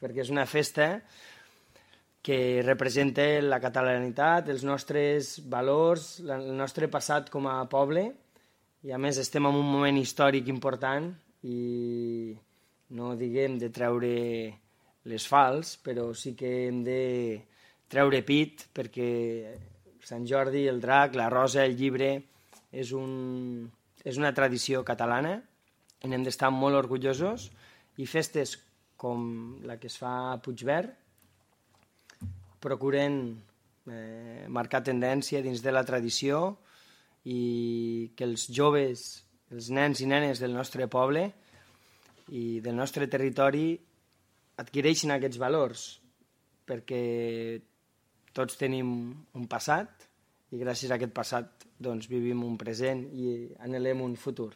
perquè és una festa que representa la catalanitat, els nostres valors, el nostre passat com a poble, i a més estem en un moment històric important i no diguem de treure les fals, però sí que hem de treure pit perquè Sant Jordi, el drac, la rosa, el llibre és una tradició catalana i n'hem d'estar molt orgullosos, i festes com la que es fa a Puigverd procuren marcar tendència dins de la tradició i que els joves, els nens i nenes del nostre poble i del nostre territori adquireixin aquests valors, perquè tots tenim un passat i gràcies a aquest passat doncs, vivim un present i anhelem un futur.